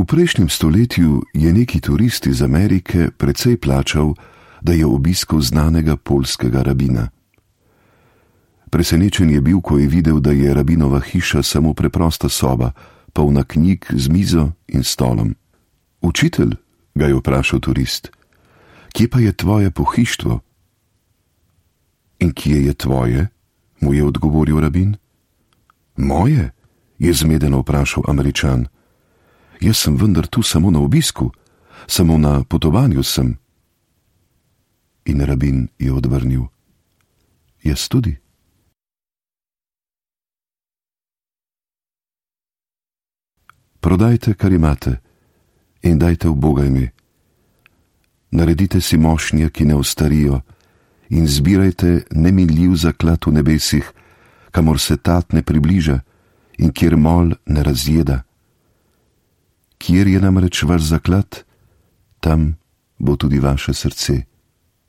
V prejšnjem stoletju je neki turist iz Amerike precej plačal, da je obiskal znanega poljskega rabina. Presenečen je bil, ko je videl, da je rabinova hiša samo preprosta soba, polna knjig z mizo in stolom. Učitelj, ga je vprašal turist, kje pa je tvoje pohištvo? In kje je tvoje? Mu je odgovoril rabin. Moje? Je zmedeno vprašal Američan. Jaz sem vendar tu samo na obisku, samo na potovanju sem. In rabin je odvrnil. Jaz tudi. Prodajte, kar imate, in dajte v Boga ime. Naredite si mošnje, ki ne ostarijo, in zbirajte neminljiv zaklad v nebesih, kamor se tat ne približa in kjer mol ne razjeda. Kjer je namreč vaš zaklad, tam bo tudi vaše srce.